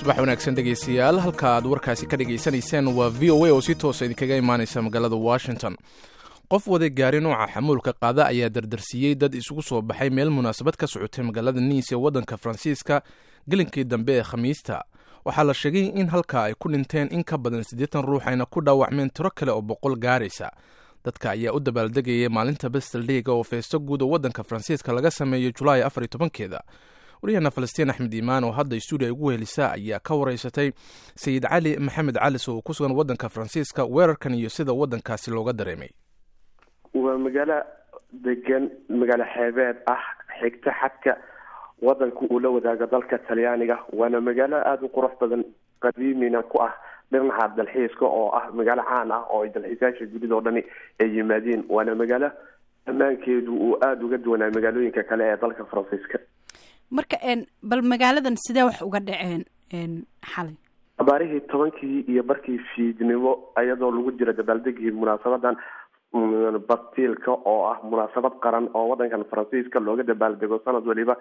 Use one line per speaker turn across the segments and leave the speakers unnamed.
Subax wanaagsan, dhegeystayaal. Halka aad warkaasi ka dhegaysanayseen waa VOA oo si toosa idinkaga imaaneysa magaalada Washington. Qof waday gaari nooca xamuulka qaada ayaa dardarsiiyey dad isugu soo baxay meel munaasabad ka socotay magaalada Nice ee waddanka Faransiiska gelinkii dambe ee Khamiista. Waxaa la sheegay in halkaa ay ku dhinteen in ka badan 80 ruux, ayna ku dhaawacmeen tiro kale oo 100 gaaraysa. Dadka ayaa u dabaaldegayay maalinta Bastille Day-ga oo feesto guud oo waddanka Faransiiska laga sameeyo Julaay 14-keeda. Waryaheena Falastiin Axmed Iimaan oo hadda stuudiya ugu helisa ayaa ka wareysatay Sayid Cali Maxamed Calis oo ku sugan waddanka Faransiiska weerarkan iyo sida waddankaasi looga dareemay.
Waa magaalo degan, magaalo xeebeed ah, xigta xadka wadanka uu la wadaago dalka Talyaaniga, waana magaalo aada u qurux badan, qadiimina ku ah dhinaca dalxiiska, oo ah magaalo caan ah oo ay dalxiisayaasha dunida oo dhani ay yimaadeen. Waana magaalo ammaankeedu uu aada uga duwanaa magaalooyinka kale ee dalka Faransiiska.
Marka bal magaaladan sidee wax uga dhaceen xalay?
Abaarihii 10-kii iyo barkii fiidnimo, iyadoo lagu jiro dabaaldegii munaasabadan Bastiilka, oo ah munaasabad qaran oo wadankan Faransiiska looga dabaaldego sanad waliba,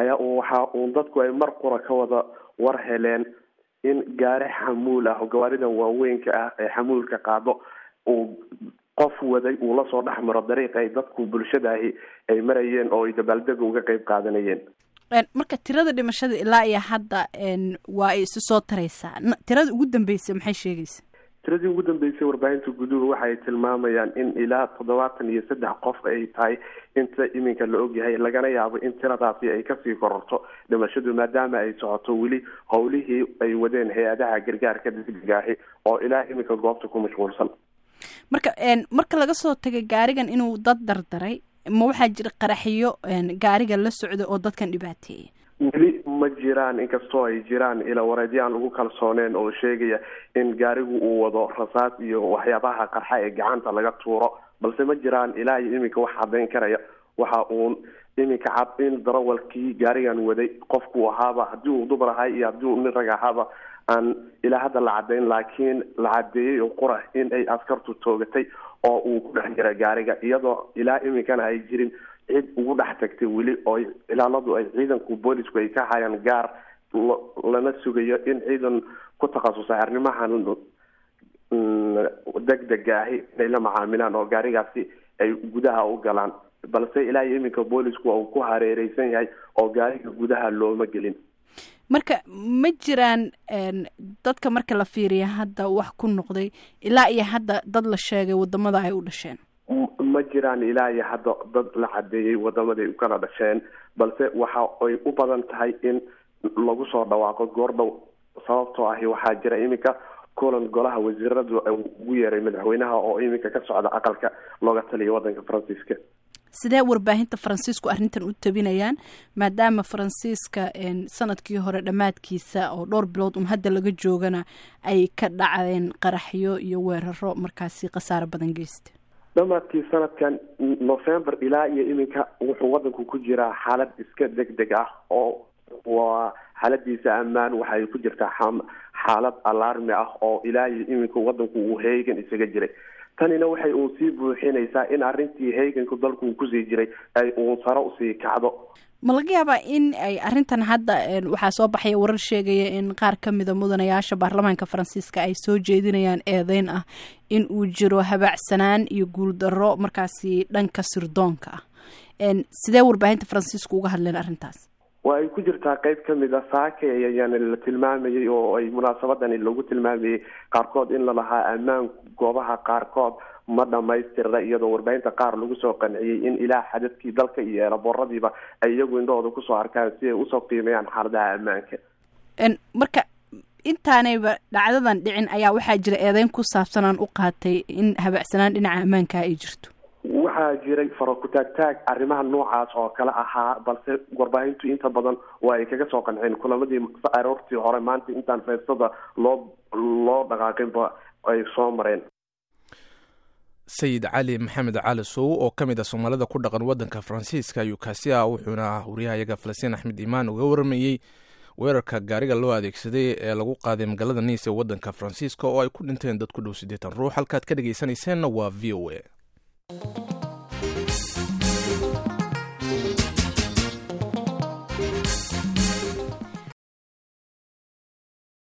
ayaa waxa uun dadku ay mar qura ka wada war heleen in gaari xamuul ah oo gawaaridan waaweynka ah ee xamuulka qaado uu qof waday uu lasoo dhex maro dariiq ay dadku bulshadaahi ay marayeen oo ay dabaaldega uga qeyb qaadanayeen.
Marka tirada dhimashada ilaa iyo hadda waa ay isu soo taraysaa. Tirada ugu dambeysay maxay sheegaysa?
Tiradii ugu dambeysay warbaahinta guduhu waxay tilmaamayaan in ilaa 73 qof ay tahay inta iminka la ogyahay, lagana yaabo in tiradaasi ay kasii kororto dhimashadu, maadaama ay socoto weli howlihii ay wadeen hay-adaha gargaarka degdegaahi oo ilaa iminka goobta ku mashquulsan.
Marka marka laga soo tagay gaarigan inuu dad dardaray, ma waxaa jira qaraxiyo gaariga la socda oo dadkan dhibaateeya?
Weli ma jiraan, inkastoo ay jiraan ila wareedyo aan lagu kalsooneen oo sheegaya in gaarigu uu wado rasaas iyo waxyaabaha qarxa ee gacanta laga tuuro, balse ma jiraan ilaa iyo iminka wax caddayn karaya. Waxa uun iminka cad in darawalkii gaarigan waday qofku ahaaba, haddii uu dumar ahay iyo haddii uu nin rag ahaaba, aan ilaa hadda la caddayn, laakiin la caddeeyey oo qura in ay askartu toogatay oo uu ku dhex jira gaariga, iyadoo ilaa iminkana ay jirin cid ugu dhex tagtay weli, oo ilaaladu ay ciidanku boolisku ay ka hayaan gaar, lana sugayo in ciidan ku takhasusay arrimahan degdega ahi inay la macaamilaan oo gaarigaasi ay gudaha u galaan, balse ilaa iyo iminka boolisku uu ku hareereysan yahay oo gaariga gudaha looma gelin.
Marka ma jiraan dadka marka la fiiriya hadda wax ku noqday ilaa iyo hadda dad la sheegay wadamada ay u dhasheen?
Ma jiraan ilaa iyo hadda dad la cadeeyey wadamaday u kala dhasheen, balse waxa ay u badan tahay in lagu soo dhawaaqo goordhow, sababtoo ahi waxaa jira iminka kulan golaha wasiiradu ugu yeeray madaxweynaha oo iminka ka socda aqalka looga taliya wadanka Faransiiska.
Sidee warbaahinta Faransiisku arrintan u tabinayaan, maadaama Faransiiska sanadkii hore dhammaadkiisa oo dhowr bilood un hadda laga joogana ay ka dhacdeen qaraxyo iyo weeraro markaasi khasaaro badan geysta?
Dhamaadkii sanadkan November ilaa iyo iminka wuxuu wadanku ku jiraa xaalad iska deg deg ah, oo waa xaaladiisa ammaan waxay ku jirtaa xaalad alarmi ah oo ilaa iyo iminka wadanku uu heegan isaga jiray. Tanina waxay uun sii buuxinaysaa in arrintii heeganku dalku uu kusii jiray ay uun sare usii kacdo.
Ma laga yaabaa in ay arrintan hadda waxaa soo baxaya warar sheegaya in qaar ka mida mudanayaasha baarlamaanka Faransiiska ay soo jeedinayaan eedeyn ah in uu jiro habaacsanaan iyo guuldarro markaasi dhanka sirdoonka ah? Sidee warbaahinta Faransiiska uga hadleen arrintaas?
Waa ay ku jirtaa qeyb ka mid a saake ayaana la tilmaamayay oo ay munaasabadani lagu tilmaamayay qaarkood in lalahaa ammaan goobaha qaarkood ma dhamaystirna, iyadoo warbaahinta qaar lagu soo qanciyey in ilaa xadadkii dalka iyo eelabooradiiba ay iyagu indhahooda kusoo arkaan si ay usoo qiimeeyaan xaaladaha ammaanka.
Marka intaanayba dhacdadan dhicin ayaa waxaa jira eedeyn ku saabsan aan u qaatay in habacsanaan dhinaca ammaanka ay jirto.
Waxaa jiray faro-kutaagtaag arrimaha noocaas oo kale ahaa, balse warbaahintu inta badan waa ay kaga soo qanceen kulamadii aroortii hore maanta intaan feestada loo dhaqaaqinba ay soo mareen.
Sayid Cali Maxamed Cali Sow oo ka mid ah Soomaalida ku dhaqan waddanka Faransiiska ayuu kaasi ah, wuxuuna wariyahayaga Falastiin Axmed Iimaan uga waramayey weerarka gaariga loo adeegsaday ee lagu qaaday magaalada Nice ee waddanka Faransiiska oo ay ku dhinteen dad ku dhow 80 ruux. Halkaad ka dhegeysanayseena waa VOA.